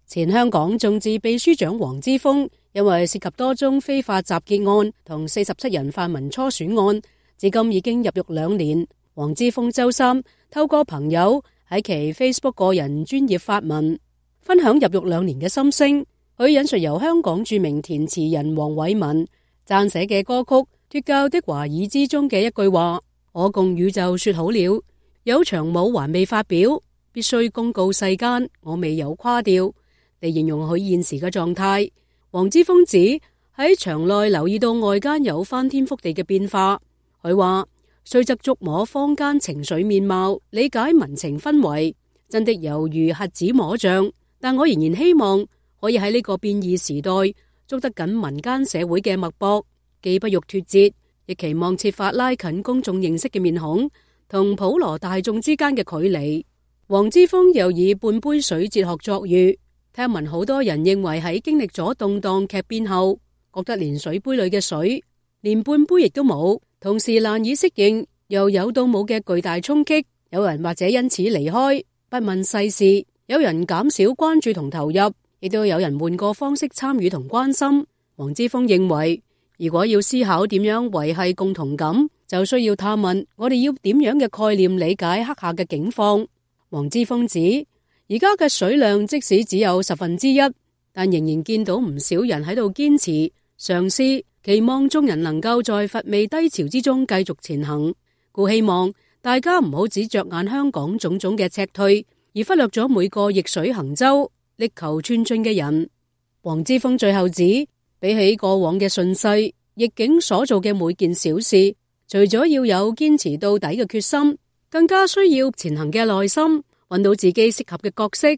前香港眾志秘書長黃之鋒因為涉及多宗非法集結案同47人泛民初選案，至今已經入獄2年。黃之鋒周三透過朋友喺其 Facebook 個人專頁發文，分享入獄2年嘅心聲。佢引述由香港著名填詞人黃偉文撰寫嘅歌曲《脫教的華爾》之中嘅一句話：我共宇宙說好了，有場舞還未發表，必須公告世間我未有垮掉，嚟形容佢現時嘅狀態。黃之鋒指喺場內留意到外間有翻天覆地嘅變化，佢話雖則觸摸坊間情緒面貌，理解民情氛圍，真的猶如瞎子摸象，但我仍然希望可以喺呢個變異時代捉得緊民間社會嘅脈搏，既不欲脫節，亦期望設法拉近公眾認識嘅面孔同普羅大眾之間嘅距離。黃之鋒又以半杯水哲學作喻，聽聞好多人認為喺經歷咗動盪劇變後，覺得連水杯裏嘅水連半杯亦都冇，同時難以適應由有到冇嘅巨大衝擊。有人或者因此離開，不問世事；有人減少關注同投入，亦都有人換個方式參與同關心。黃之鋒認為，如果要思考點樣維繫共同感，就需要探問我哋要點樣嘅概念理解刻下嘅境況。黃之鋒指，而家嘅水量即使只有1/10，但仍然見到唔少人喺度堅持嘗試，期望眾人能夠在乏味低潮之中繼續前行。故希望大家唔好只着眼香港種種嘅赤退，而忽略咗每個逆水行舟力求寸進嘅人。黃之鋒最後指，比起過往嘅順勢逆境所做嘅每件小事，除咗要有堅持到底嘅決心，更加需要前行嘅耐心，揾到自己適合嘅角色。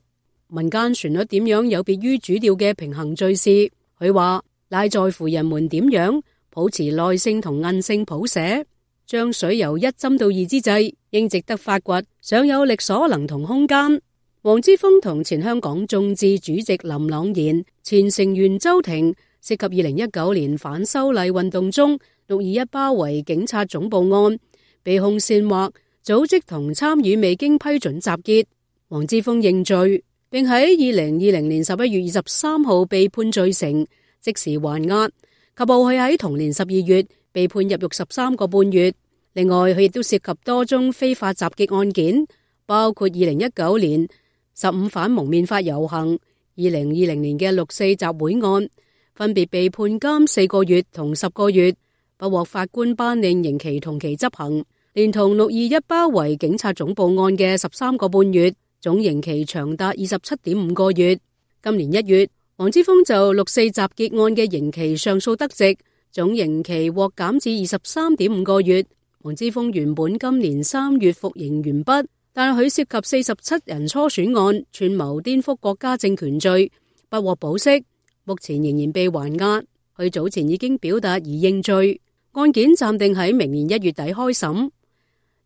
民間旋律點樣有別於主調嘅平衡敘事，佢話乃在乎人們點樣保持耐性同韌性譜寫，將水由1斟到2之際，應值得發掘，尚有力所能同空間。黃之鋒同前香港眾志主席林朗彥、前成員周庭涉及2019年反修例運動中621包圍警察總部案，被控煽惑、組織同參與未經批准集結。黃之鋒認罪，並喺2020年11月23號被判罪成，即時還押。及後佢喺同年12月被判入獄13個半月。另外，佢亦都涉及多宗非法集結案件，包括2019年15反蒙面法遊行、2020年嘅6·4集會案，分別被判監4個月同10個月，不獲法官頒令刑期同期執行，連同6·21包圍警察總部案嘅13個半月，總刑期長達27.5個月。今年1月，黃之鋒就6·4集結案嘅刑期上訴得直，總刑期獲減至23.5個月。黃之鋒原本今年3月服刑完畢，但佢涉及47人初選案串謀顛覆國家政權罪，不獲保釋，目前仍然被還押。佢早前已經表達已認罪，案件暫定喺明年1月底開審。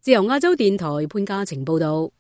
自由亞洲電台潘嘉晴報道。